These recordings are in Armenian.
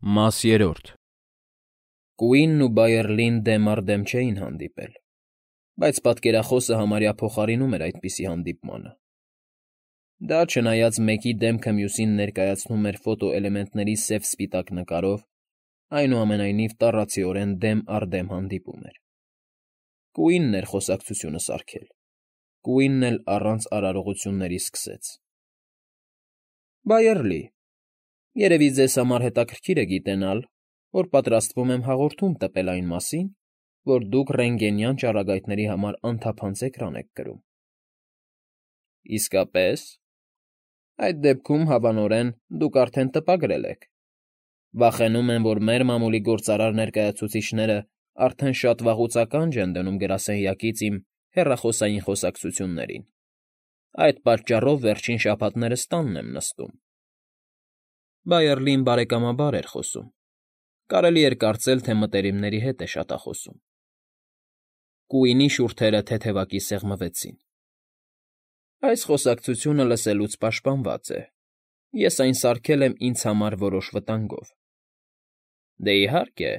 Մաս երրորդ Կուինն ու Բայերլին դեմ առ դեմ չէին հանդիպել, բայց պատկերախոսը համարյա փոխարինում էր այդպիսի հանդիպմանը. դա չնայած մեկի դեմքը մյուսին ներկայացնում էր ֆոտոէլեմենտների սև֊սպիտակ նկարով, այնուամենայնիվ տառացիորեն դեմ առ դեմ հանդիպում էր. Կուինն էր խոսակցությունը սարքել, Կուինն էլ առանց արարողությունների սկսեց. Բայերլի, երևի ձեզ համար հետաքրքիր է գիտենալ, որ պատրաստվում եմ հաղորդում տպել այն մասին, որ դուք ռենտգենյան ճառագայթների համար անթափանց էկրան եք կրում։ Իսկապես, այդ դեպքում, հավանորեն, դուք արդեն տպագրել եք։ Վախենում եմ, որ մեր մամուլի գործարար ներկայացուցիչները արդեն շատ վաղուց ականջ են դնում գրասենյակից իմ հեռախոսային խոսակցություններին։ Այդ պատճառով վերջին շաբաթներս տանն եմ նստում։ Բայերլին բարեկամաբար էր խոսում։ Կարելի էր կարծել, թե մտերիմների հետ է շատախոսում։ Կուինի շուրթերը թեթևակի սեղմվեցին։ Այս խոսակցությունը լսելուց պաշտպանված է։ Ես այն սարքել եմ ինձ համար որոշ վտանգով։ Դե իհարկե,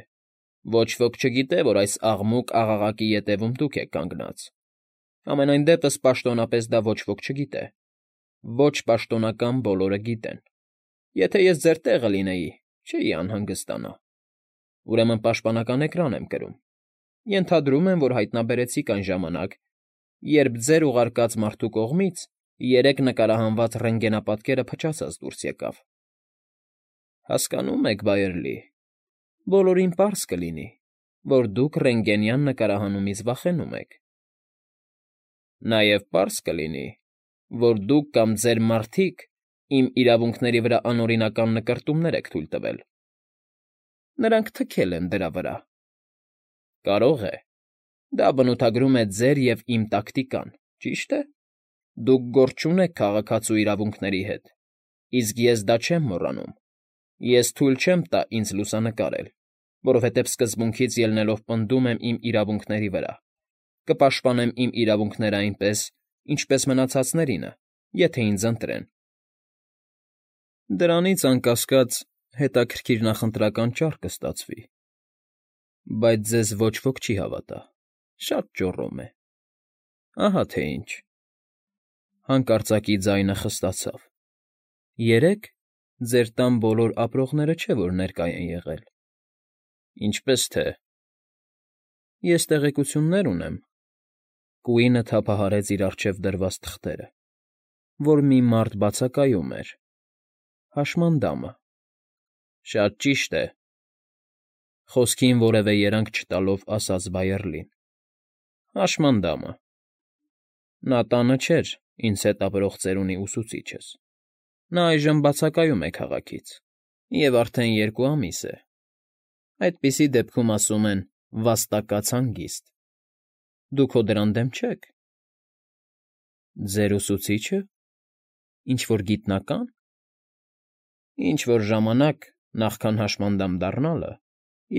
ոչ ոք չգիտե, որ այս աղմուկ աղաղակի ետևում դուք եք կանգնած։ Համենայն դեպս պաշտոնապես դա ոչ ոք չգիտե։ Ոչ պաշտոնական բոլորը գիտեն։ Եթե ես ձեր տեղը լինեի, չէի անհանգստանա։ Ուրեմն պաշտպանական էկրան եմ կրում։ Ենթադրում եմ, որ հայտնաբերեցիք այն ժամանակ, երբ ձեր ուղարկած մարդու կողմից 3 նկարահանված ռենտգենապատկերը փչացած դուրս եկավ։ Հասկանում եք, Բայերլի, բոլորին պարզ կլինի, որ դուք ռենտգենյան նկարահանումից վախենում եք։ Նաև պարզ կլինի, որ դուք կամ ձեր մարդիկ իմ իրավունքների վրա անօրինական նկրտումներ եք թույլ տվել։ Նրանք թքել են դրա վրա։ Կարող է, դա բնութագրում է ձեր և իմ տակտիկան, ճիշտ է։ Դուք գործ չունեք քաղաքացու իրավունքների հետ, իսկ ես դա չեմ մոռանում։ Ես թույլ չեմ տա ինձ լուսանկարել, որովհետև սկզբունքից ելնելով պնդում եմ իմ իրավունքների վրա, կպաշտպանեմ իմ իրավունքները այնպես, ինչպես մնացածներինը, եթե ինձ ընտրեն։ Դրանից, անկասկած, հետաքրքիր նախընտրական ճար կստացվի։ Բայց ձեզ ոչ ոք չի հավատա, շատ ճոռոմ է։ Ահա թե ինչ։ Հանկարծակի ձայնը խստացավ։ 3 ձեր տան բոլոր ապրողները չէ, որ ներկա են եղել։ Ինչպես թե։ Ես տեղեկություններ ունեմ։ Կուինը թափահարեց իր առջև դրված թղթերը, որ մի մարդ բացակայում էր։ Հաշմանդամը։ Շատ ճիշտ է։ Խոսքին որևէ երանգ չտալով ասաց Բայերլին։ Հաշմանդամը։ Նա տանը չէր ինձ հետ ապրող ծերունի ուսուցիչս։ Նա այժմ բացակայում է քաղաքից և արդեն 2 ամիս է։ Այդպիսի դեպքում ասում են «վաստակած հանգիստ»։ Դուք հո դրան դեմ չեք։ Ձեր ուսուցի՞չը։ Ինչ֊որ գիտնակա՞ն։ Ինչ֊որ ժամանակ, նախքան հաշմանդամ դառնալը,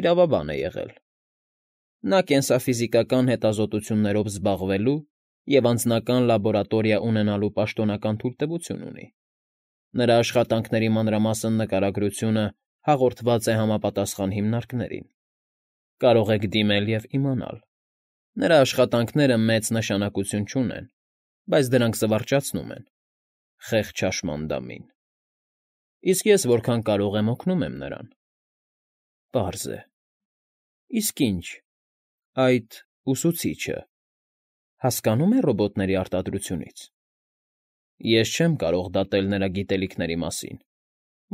իրավաբան է եղել։ Նա կենսաֆիզիկական հետազոտություններով զբաղվելու և անձնական լաբորատորիա ունենալու պաշտոնական թույլտվություն ունի։ Նրա աշխատանքների մանրամասն նկարագրությունը հաղորդված է համապատասխան հիմնարկներին։ Կարող եք դիմել և իմանալ։ Նրա աշխատանքները մեծ նշանակություն չունեն, բայց դրանք զվարճացնում են խեղճ հաշմանդամին։ Իսկ ես որքան կարող եմ օգնում եմ նրան։ Պարզ է։ Իսկ ինչ, այդ ուսուցիչը հասկանո՞ւմ է ռոբոտների արտադրությունից։ Ես չեմ կարող դատել նրա գիտելիքների մասին,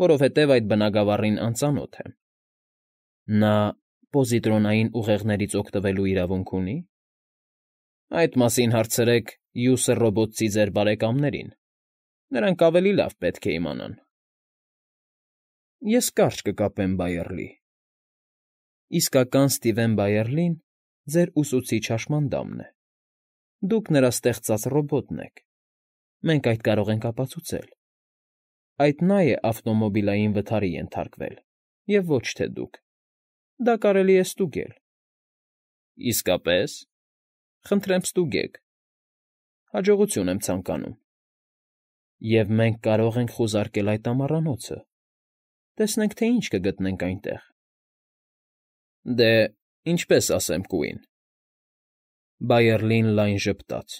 որովհետև այդ բնագավառին անծանոթ եմ։ Նա պոզիտրոնային ուղեղներից օգտվելու իրավունք ունի։ Այդ մասին հարցրեք Յուսր ռոբոտցի ձեր բարեկամներին։ Նրանք ավելի լավ պետք է իմանան։ Ես կարճ կկապեմ, Բայերլի։ Իսկական Սթիվեն Բայերլին ձեր ուսուցիչ հաշմանդամն է։ Դուք նրա ստեղծած ռոբոտն եք։ Մենք այդ կարող ենք ապացուցել։ Այդ նա է ավտոմոբիլային վթարի ենթարկվել, և ոչ թե դուք։ Դա կարելի է ստուգել։ Իսկապես։ Խնդրեմ ստուգեք։ Հաջողություն եմ ցանկանում։ Եվ մենք կարող ենք խուզարկել այդ ամառանոցը։ Տեսնենք, թե ինչ կգտնենք այնտեղ։ Դե, ինչպես ասեմ, կուին։ Բայերլին լայն ժպտաց։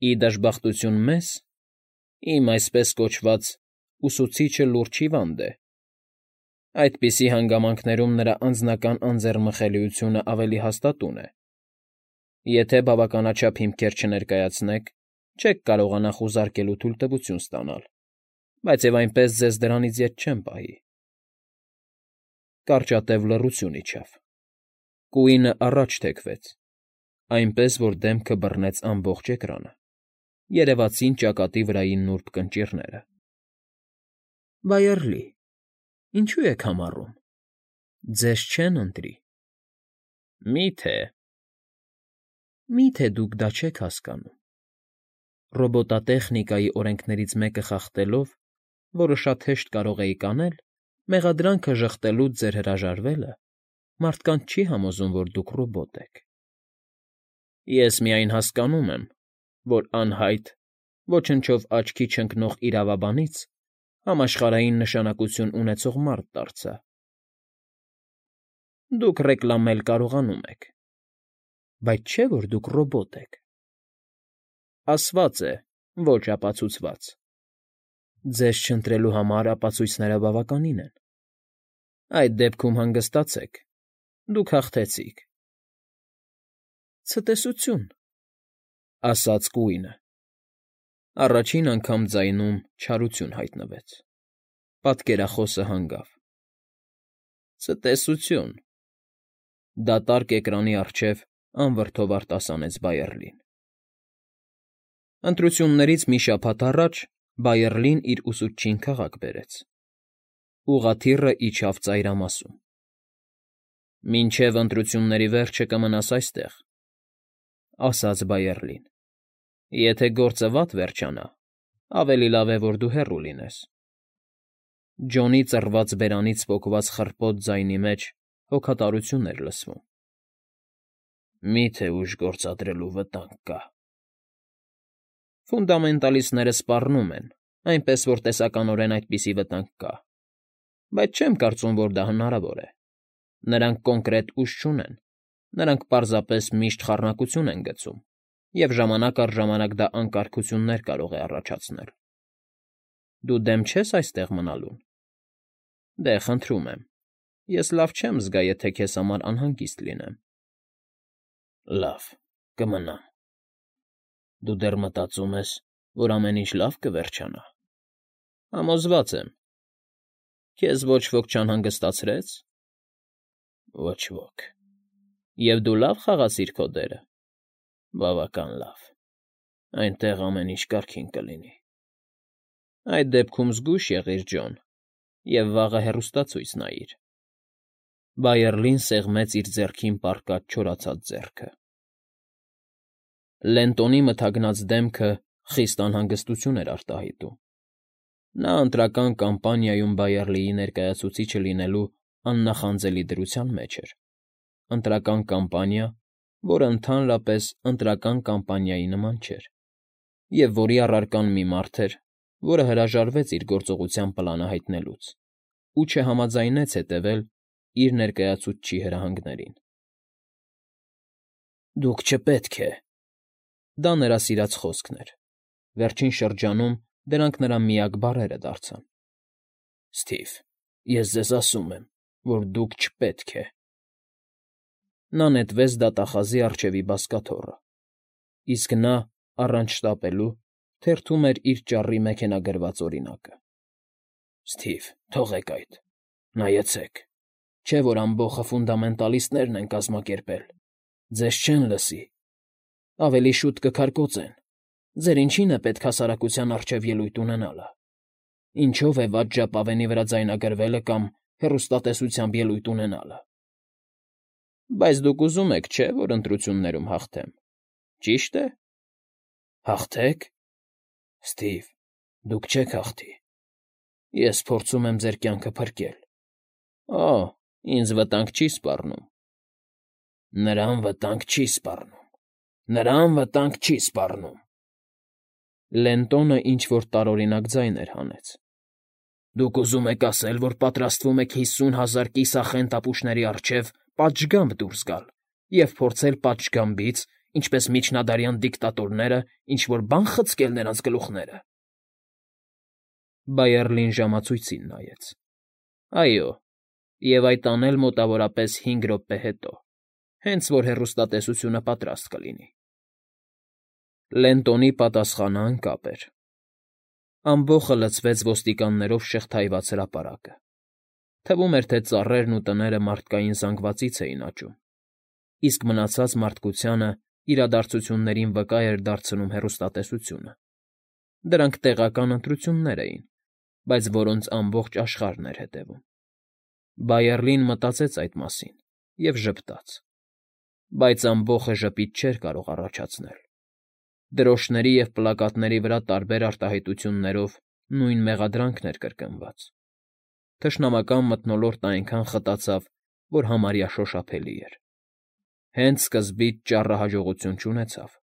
Ի դժբախտություն մեզ, իմ այսպես կոչված ուսուցիչը լուրջ հիվանդ է։ Այդպիսի հանգամանքներում նրա անձնական անձեռմխելիությունը ավելի հաստատուն է։ Եթե բավականաչափ հիմքեր չներկայացնեք, չեք կարողանա խուզարկելու թույլտվություն ստանալ, բայց և այնպես ձեզ դրանից ետ չեմ պահի։ Կարճատև լռություն իջավ։ Կուինը առաջ թեքվեց, այնպես որ դեմքը բռնեց ամբողջ էկրանը, երևացին ճակատի վրայի նուրբ կնճիռները։ Բայերլի, ինչու եք համառում։ Ձեզ չեն ընտրի։ Մի՞թե դուք դա չեք հասկանում։ Ռոբոտատեխնիկայի օրենքներից մեկը խախտելով, որը շատ հեշտ կարող էիք անել, մեղադրանքը ժխտելուց ձեր հրաժարվելը մարդկանց չի համոզում, որ դուք ռոբոտ եք։ Ես միայն հասկանում եմ, որ անհայտ, ոչնչով աչքի չընկնող իրավաբանից համաշխարհային նշանակություն ունեցող մարդ դարձա։ Դուք ռեկլամել կարողանում եք, բայց չէ՞ որ դուք ռոբոտ եք։ Ասված է, ոչ ապացուցված։ Ձեզ չընտրելու համար ապացույցները բավականին են։ Այդ դեպքում հանգստացեք, դուք հաղթեցիք։ Ցտեսություն, ասաց կուինը։ Առաջին անգամ ձայնում չարություն հայտնվեց։ Պատկերախոսը հանգավ։ Ցտեսություն։ Դատարկ էկրանի առջև անվրդով արտասանեց Բայերլին։ Ընտրություններից մի շաբաթ առաջ Բայերլին իր ուսուցչին քաղաք բերեց։ Ուղղաթիռը իջավ ծայրամասում։ Մինչև ընտրությունների վերջը կմնաս այստեղ, ասաց Բայերլին։ Եթե գործը վատ վերջանա, ավելի լավ է, որ դու հեռու լինես։ Ջոնի ծռված բերանից պոկված խռպոտ ձայնի մեջ հոգատարություն էր լսվում։ Մի՞թե ուժ գործադրելու վտանգ կա։ Ֆունդամենտալիստները սպառնում են, այնպես որ տեսականորեն այդպիսի վտանգ կա, բայց չեմ կարծում, որ դա հնարավոր է։ Նրանք կոնկրետ ուժ չունեն, նրանք պարզապես միշտ խառնակություն են գցում, և ժամանակ առ ժամանակ դա անկարգություններ կարող է առաջացնել։ Դու դեմ չես այստեղ մնալուն։ Դե, խնդրում եմ, ես լավ չեմ զգա, եթե քեզ համար անհանգիստ լինեմ։ Լավ, կմնամ։ Դու դեռ մտածում ես, որ ամեն ինչ լավ կվերջանա։ Համոզված եմ։ Քեզ ոչ ոք չանհանգստացրե՞ց։ Ոչ ոք։ Եվ դու լավ խաղացիր քո դերը։ Բավական լավ։ Այնտեղ ամեն ինչ կարգին կլինի։ Այդ դեպքում զգույշ եղիր, Ջոն, և վաղը հեռուստացույց նայիր։ Բայերլին սեղմեց իր ձեռքին պառկած չորացած ձեռքը։ Լենտոնի մթագնած դեմքը խիստ անհանգստություն էր արտահայտում։ Նա ընտրական կամպանիայում Բայերլիի ներկայացուցիչը լինելու աննախանձելի դրության մեջ էր։ Ընտրական կամպանիա, որը ընդհանրապես ընտրական կամպանիայի նման չէր, և որի առարկան մի մարդ էր, որը հրաժարվեց իր գործողության պլանը հայտնելուց ու չհամաձայնեց հետևել իր ներկայացուցչի հրահանգներին։ Դուք չպետք է… Դա նրա սիրած խոսքն էր։ Վերջին շրջանում դրանք նրա միակ բառերը դարձան։ Սթիվ, ես ձեզ ասում եմ, որ դուք չպետք է… Նա նետվեց դատախազի առջևի բազկաթոռը, իսկ նա, առանց շտապելու, թերթում էր իր ճառի մեքենագրված օրինակը։ Սթիվ, թողեք այդ… Նայեցեք… Չէ՞ որ ամբոխը ֆունդամենտալիստներն են կազմակերպել… Ձեզ չեն լսի… Ավելի շուտ կքարկոծեն… Ձեր ինչին է պետք հասարակության առջև ելույթ ունենալը… Ինչո՞վ է վատ ժապավենի վրա ձայնագրվելը կամ հեռուստատեսությամբ ելույթ ունենալը… Բայց դուք ուզում եք, չէ՞, որ ընտրություններում հաղթեմ… Ճի՞շտ է… Հաղթե՞ք… Սթիվ, դուք չեք հաղթի… Ես փորձում եմ ձեր կյանքը փրկել… Օ՜, ինձ վտանգ չի սպառնում… Նրան վտանգ չի սպառնում… Նրան վտանգ չի սպառնում… Լենտոնը ինչ֊որ տարօրինակ ձայն էր հանեց։ Դուք ուզում եք ասել, որ պատրաստվում եք 50,000 կիսախենթ ապուշների առջև պատշգամբ դուրս գալ և փորձել պատշգամբից, ինչպես միջնադարյան դիկտատորները, ինչ֊որ բան խցկել նրանց գլուխները… Բայերլին ժամացույցին նայեց. այո, և այդ անել մոտավորապես 5 րոպե հետո, հենց որ հեռուստատեսությունը պատրաստ կլինի… Լենտոնի պատասխանը անկապ էր. ամբոխը լցվեց ոստիկաններով շղթայված հրապարակը, թվում էր, թե ծառերն ու տները մարդկային զանգվածից էին աճում, իսկ մնացած մարդկությանը իրադարձություններին վկա էր դարձնում հեռուստատեսությունը. դրանք տեղական ընտրություններ էին, բայց որոնց ամբողջ աշխարհն էր հետևում… Բայերլին մտածեց այդ մասին և ժպտաց. բայց ամբոխը ժպիտ չէր կարող առաջացնել… Դրոշների և պլակատների վրա տարբեր արտահայտություններով նույն մեղադրանքն էր կրկնված… Թշնամական մթնոլորտն այնքան խտացավ, որ համարյա շոշափելի էր… Հենց սկզբից ճառը հաջողություն չունեցավ…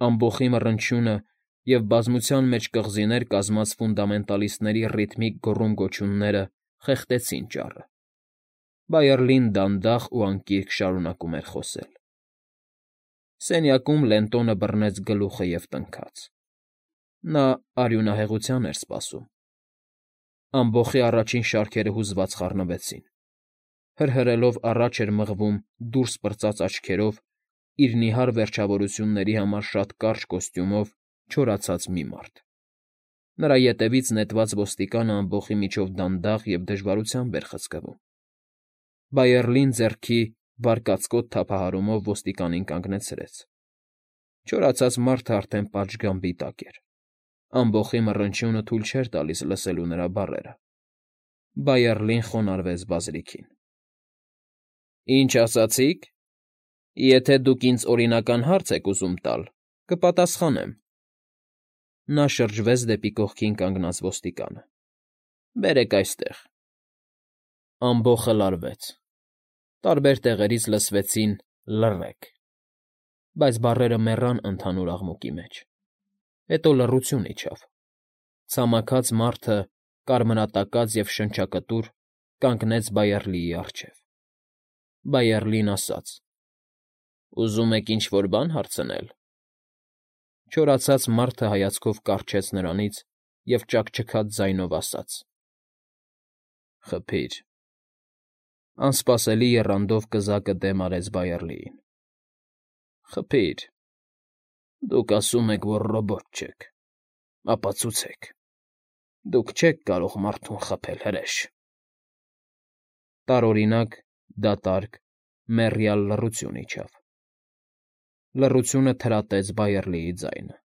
Ամբոխի մռնչյունը և բազմության մեջ կղզիներ կազմած ֆունդամենտալիստների ռիթմիկ գոռում֊գոչյունները խեղդեցին ճառը… Բայերլին դանդաղ ու անկիրք շարունակում էր խոսել… Սենյակում Լենտոնը բռնեց գլուխը և տնքաց… Նա արյունահեղության էր սպասում… Ամբոխի առաջին շարքերը հուզված խառնվեցին… Հրհրելով առաջ էր մղվում դուրս պրծած աչքերով իր նիհար վերջավորությունների համար շատ կարճ կոստյումով չորացած մի մարդ… Նրա ետևից նետված ոստիկանը ամբոխի միջով դանդաղ և դժվարությամբ էր խցկվում… Բայերլին ձեռքի վարկածկոտ թափահարումով ոստիկանին կանգնեցրեց… Չորացած մարդը արդեն պատշգամբի տակ էր… Ամբոխի մռնչյունը թույլ չէր տալիս լսելու նրա բառերը… Բայերլին խոնարհվեց բազրիքին… ֊ Ինչ ասացիք… Եթե դուք ինձ օրինական հարց եք ուզում տալ, կպատասխանեմ… Նա շրջվեց դեպի կողքին կանգնած ոստիկանը. ֊ Բերեք այստեղ… Ամբոխը լարվեց… Տարբեր տեղերից լսվեցին լռեք… Բայց բառերը մեռան ընդհանուր աղմուկի մեջ… Հետո լռություն իջավ… Ցամաքած մարդը, կարմրատակած և շնչակտուր, կանգնեց Բայերլիի առջև… Բայերլին ասաց. «Ուզում եք ինչ֊որ բան հարցնել»… Չորացած մարդը հայացքով կառչեց նրանից և ճաքճքաց ձայնով ասաց. «Խփիր»… Անսպասելի եռանդով կզակը դեմ արեց Բայերլիին. «Խփիր… Դուք ասում եք, որ ռոբոտ չեք… Ապացուցեք… Դուք չեք կարող մարդուն խփել, հրե՜շ»… Տարօրինակ, դատարկ, մեռյալ լռություն իջավ… Լռությունը թրատեց Բայերլիի ձայնը.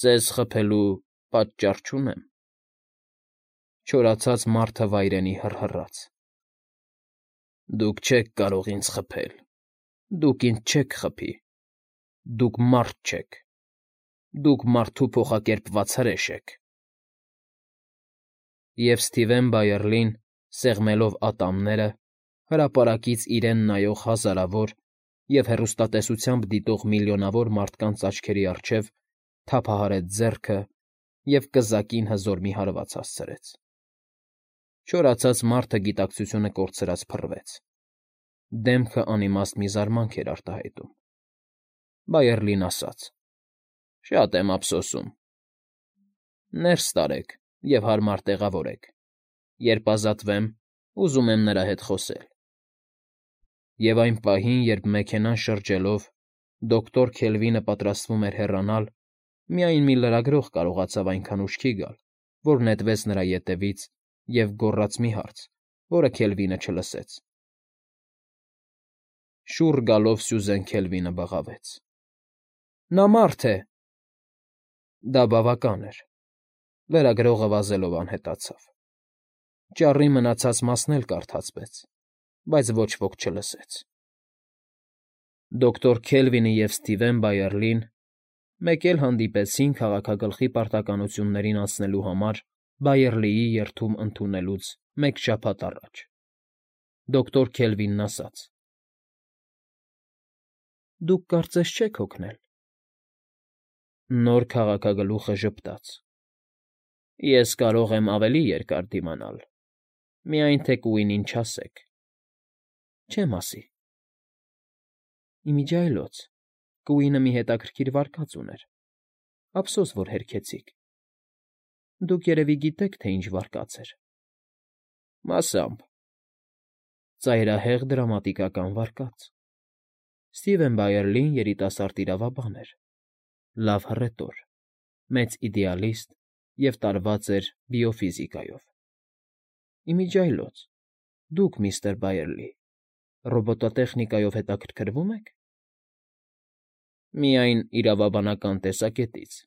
«Ձեզ խփելու պատճառ չունեմ»… Չորացած մարդը վայրենի հռհռաց. «Դուք չեք կարող ինձ խփել… Դուք ինձ չեք խփի… Դուք մարդ չեք… Դուք մարդու փոխակերպված հրեշ եք…»… Եվ Սթիվեն Բայերլին, սեղմելով ատամները, հրապարակից իրեն նայող հազարավոր և հեռուստատեսությամբ դիտող միլիոնավոր մարդկանց աչքերի առջև թափահարեց ձեռքը և կզակին հզոր մի հարված հասցրեց… Չորացած մարդը գիտակցությունը կորցրած փռվեց… Դեմքը անիմաստ մի զարմանք էր արտահայտում… Բայերլին ասաց. «Շատ եմ ափսոսում… Ներս տարեք և հարմար տեղավորեք… Երբ ազատվեմ, ուզում եմ նրա հետ խոսել…» Եվ այն պահին, երբ մեքենան շրջելով, դոկտոր Քելվինը պատրաստվում էր հեռանալ, միայն մի լրագրող կարողացավ այնքան ուշքի գալ, որ նետվեց նրա ետևից և գոռաց մի հարց, որը Քելվինը չլսեց… Շուռ գալով Սյուզեն Քելվինը բղավեց. ֊ Նա մարդ է… Դա բավական էր… Լրագրողը վազելով անհետացավ… Ճառի մնացած մասն էլ կարդացվեց, բայց ոչ ոք չլսեց… Դոկտոր Քելվինը և Սթիվեն Բայերլին մեկ էլ հանդիպեցին քաղաքագլխի պարտականություններին անցնելու համար Բայերլիի երդում ընդունելուց մեկ շաբաթ առաջ… Դոկտոր Քելվինն ասաց. «Դուք կարծես չեք հոգնել»… Նոր քաղաքագլուխը ժպտաց. Ես կարող եմ ավելի երկար դիմանալ, միայն թե Կուինին չասեք։ Չեմ ասի։ Ի միջի այլոց Կուինը մի հետաքրքիր վարկած ուներ։ Ափսոս, որ հերքեցիք։ Դուք երևի գիտեք, թե ինչ վարկած էր։ Մասամբ։ Ծայրահեղ դրամատիկական վարկած։ Սթիվեն Բայերլին երիտասարդ իրավաբան էր, լավ հռետոր, մեծ իդեալիստ և տարված էր բիոֆիզիկայով։ Ի միջի այլոց, դուք, միստր Բայերլի, ռոբոտատեխնիկայով հետաքրքրվում եք։ Միայն իրավաբանական տեսակետից։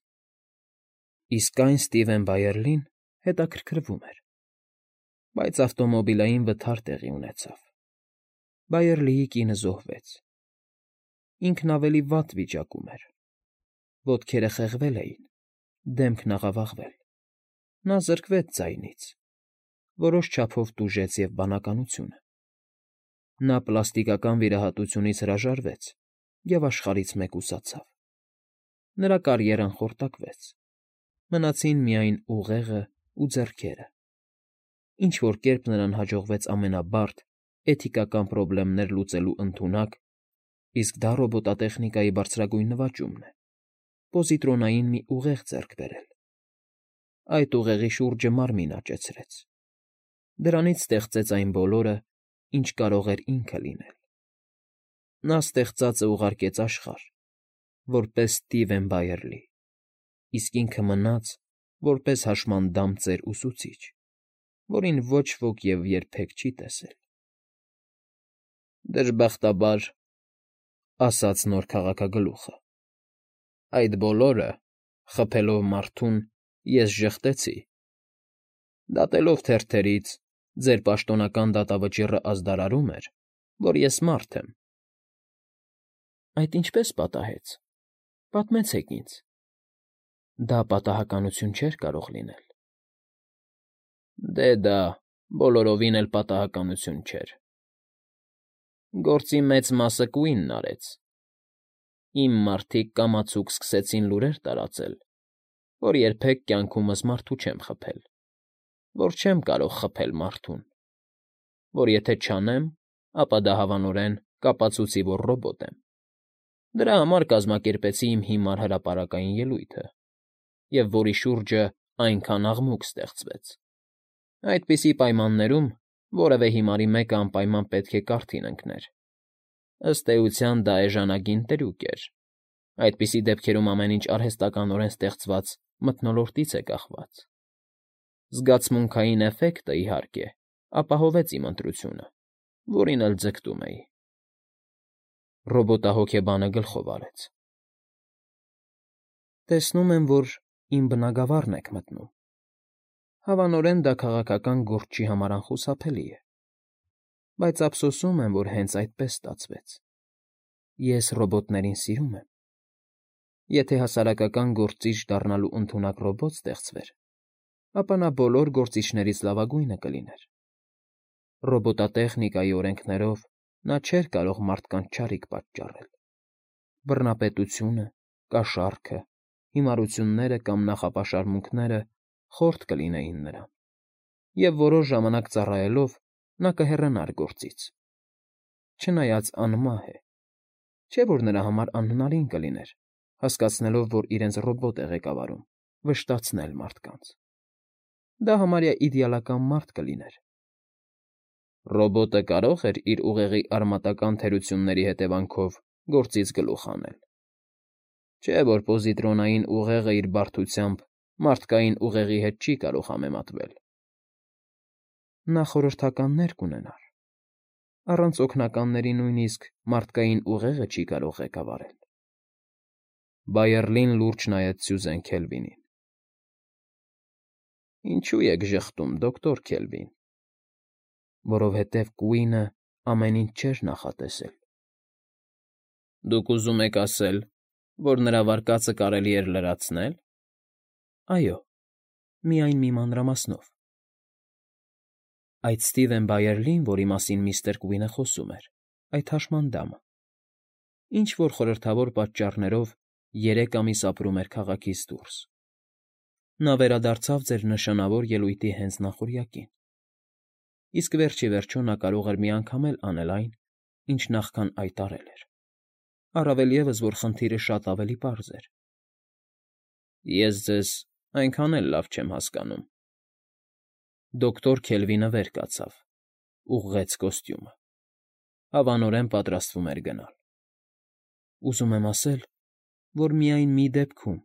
Իսկ այն Սթիվեն Բայերլին հետաքրքրվում էր, բայց ավտոմոբիլային վթար տեղի ունեցավ։ Բայերլիի կինը զոհվեց։ Ինքն ավելի վատ վիճակում էր։ Ոտքերը խեղվել էին, դեմքն աղավաղվել։ Նա զրկվեց ձայնից, որոշ չափով տուժեց և բանականությունը։ Նա պլաստիկական վիրահատությունից հրաժարվեց և աշխարհից մեկուսացավ։ Նրա կարիերան խորտակվեց։ Մնացին միայն ուղեղն ու ձեռքերը։ Ինչ֊որ կերպ նրան հաջողվեց ամենաբարդ, էթիկական պրոբլեմներ լուծելու ընդունակ, իսկ դա ռոբոտատեխնիկայի բարձրագույն նվաճումն է, պոզիտրոնային մի ուղեղ ձեռք բերել։ Այդ ուղեղի շուրջը մարմին աճեցրեց։ Դրանից ստեղծեց այն բոլորը, ինչ կարող էր ինքը լինել։ Նա ստեղծածը ուղարկեց աշխարհ, որպես Սթիվեն Բայերլի, իսկ ինքը մնաց, որպես հաշմանդամ ծեր ուսուցիչ, որին ոչ ոք և երբեք չի տեսել։ Դժբախտաբար, ասաց նոր քաղաքագլուխը, այդ բոլորը, խփելով մարդուն, ես ժխտեցի։ Դատելով թերթերից, ձեր պաշտոնական դատավճիռը ազդարարում էր, որ ես մարդ եմ։ Այդ ինչպե՞ս պատահեց։ Պատմեցեք ինձ։ Դա պատահականություն չէր կարող լինել։ Դե դա բոլորովին էլ պատահականություն չէր։ Գործի մեծ մասը Կուինն արեց։ Իմ մարդիկ կամացուկ սկսեցին լուրեր տարածել, որ երբեք կյանքումս մարդու չեմ խփել, որ չեմ կարող խփել մարդուն, որ եթե չանեմ, ապա դա հավանորեն կապացուցի, որ ռոբոտ եմ։ Դրա համար կազմակերպեցի իմ հիմար հրապարակային ելույթը, և որի շուրջը այնքան աղմուկ ստեղծվեց։ Այդպիսի պայմաններում որևէ հիմարի մեկը անպայման պետք է կարթին ընկներ։ Ըստ էության դա էժանագին трյուկ էր։ Այդպիսի դեպքերում ամեն ինչ արհեստականորեն ստեղծված մթնոլորտից է կախված։ Զգացմունքային էֆեկտը, իհարկե, ապահովեց իմ ընտրությունը, որին էլ ձգտում էի։ Ռոբոտահոգեբանը գլխով արեց։ Տեսնում եմ, որ իմ բնագավառն եք մտնում։ Հավանորեն դա քաղաքական գործչի համար անխուսափելի է, բայց ափսոսում եմ, որ հենց այդպես ստացվեց։ Ես ռոբոտներին սիրում եմ։ Եթե հասարակական գործիչ դառնալու ընդունակ ռոբոտ ստեղծվեր, ապա նա բոլոր գործիչներից լավագույնը կլիներ։ Ռոբոտատեխնիկայի օրենքներով նա չէր կարող մարդկանց չարիք պատճառել։ Բռնապետությունը, կաշառքը, հիմարությունները կամ նախապաշարմունքները խորթ կլինեին նրան, և որոշ ժամանակ ծառայելով նա կհեռանար գործից։ Չնայած անմահ է, չէ՞ որ նրա համար անհնարին կլիներ, հասկացնելով, որ իրենց ռոբոտ է ղեկավարում, վշտացնել մարդկանց։ Դա համարյա իդեալական մարդ կլիներ։ Ռոբոտը կարող էր իր ուղեղի արմատական թերությունների հետևանքով գործից գլուխ հանել։ Չէ՞ որ պոզիտրոնային ուղեղը իր բարդությամբ մարդկային ուղեղի հետ չի կարող համեմատվել։ Նա խորհրդականներ կունենար։ Առանց օգնականների նույնիսկ մարդկային ուղեղը չի կարող ղեկավարել։ Բայերլին լուրջ նայեց Սյուզեն Քելվինին։ Ինչո՞ւ եք ժխտում, դոկտոր Քելվին։ Որովհետև Կուինը ամեն ինչ չէր նախատեսել։ Դուք ուզում եք ասել, որ նրա վարկածը կարելի էր լրացնել։ Այո, միայն մի մանրամասնով։ Այդ Սթիվեն Բայերլին, որի մասին միստր Կուինը խոսում էր, այդ հաշմանդամը, ինչ֊որ խորհրդավոր պատճառներով 3 ամիս ապրում էր քաղաքից դուրս։ Նա վերադարձավ ձեր նշանավոր ելույթի հենց նախօրյակին, իսկ վերջիվերջո նա կարող էր մի անգամ էլ անել այն, ինչ նախքան այդ արել էր, առավել ևս, որ խնդիրը շատ ավելի պարզ էր։ Ես ձեզ այնքան էլ լավ չեմ հասկանում։ Դոկտոր Քելվինը վեր կացավ, ուղղեց կոստյումը, հավանորեն պատրաստվում էր գնալ։ Ուզում եմ ասել, որ միայն մի դեպքում,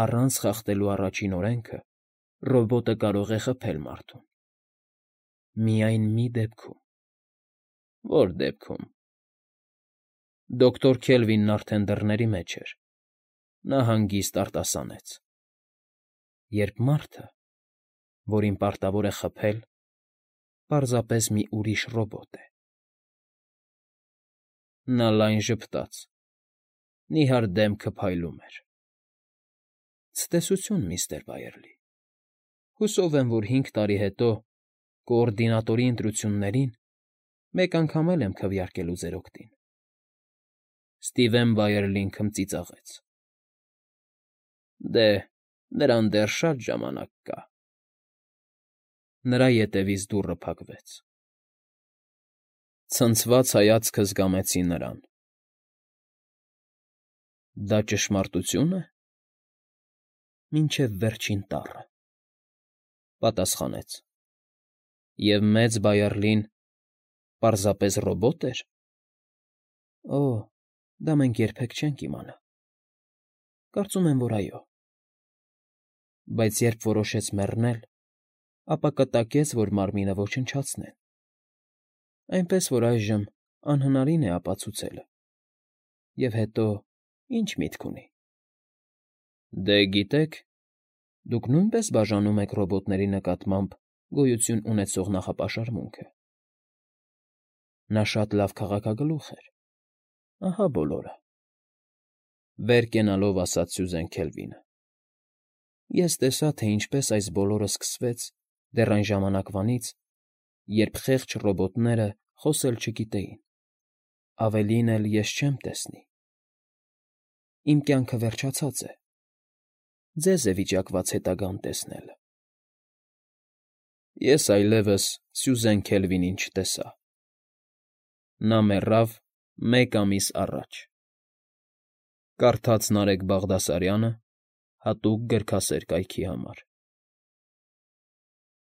առանց խախտելու առաջին օրենքը, ռոբոտը կարող է խփել մարդուն։ Միայն մի դեպքում։ Ո՞ր դեպքում։ Դոկտոր Քելվինն արդեն դռների մեջ էր։ Նա հանգիստ արտասանեց. Երբ մարդը, որին պարտավոր է խփել, պարզապես մի ուրիշ ռոբոտ է։ Նա լայն ժպտաց, նիհար դեմքը փայլում էր։ Ցտեսություն, միստր Բայերլի։ Հուսով եմ, որ 5 տարի հետո, կոորդինատորի ընտրություններին, մեկ անգամ էլ եմ քվեարկելու ձեր օգտին։ Սթիվեն Բայերլին քմծիծաղեց։ Դե, նրան դեռ շատ ժամանակ կա։ Նրա ետևից դուռը փակվեց։ Ցնցված հայացքը զգամեցի նրան։ Դա ճշմարտությո՞ւն է։ Մինչև վերջին տառը, պատասխանեց։ Եվ մեծ Բայերլին պարզապես ռոբոտ էր։ Օ, դա մենք երբեք չենք իմանա։ Կարծում եմ, որ այո։ Բայց երբ որոշեց մեռնել, ապա կտակեց, որ մարմինը ոչնչացնեն։ Այնպես որ այժմ անհնարին է ապացուցելը։ Եվ հետո ի՞նչ միտք ունի։ Դե, գիտեք, դուք նույնպես բաժանում եք ռոբոտների նկատմամբ գոյություն ունեցող նախապաշարմունքը։ Նա շատ լավ քաղաքագլուխ էր։ Ահա բոլորը։ Վեր կենալով ասաց Սյուզեն Քելվինը։ Ես տեսա, թե ինչպես այս բոլորը սկսվեց դեռ այն ժամանակվանից, երբ խեղճ ռոբոտները խոսել չգիտեին։ Ավելին էլ ես չեմ տեսնի։ Իմ կյանքը վերջացած է։ Ձեզ է վիճակված հետագան տեսնելը։ Ես այլևս Սյուզեն Քելվինին չտեսա։ Նա մեռավ 1 ամիս առաջ։ Կարդաց Նարեկ Բաղդասարյանը հատուկ գրքասեր կայքի համար։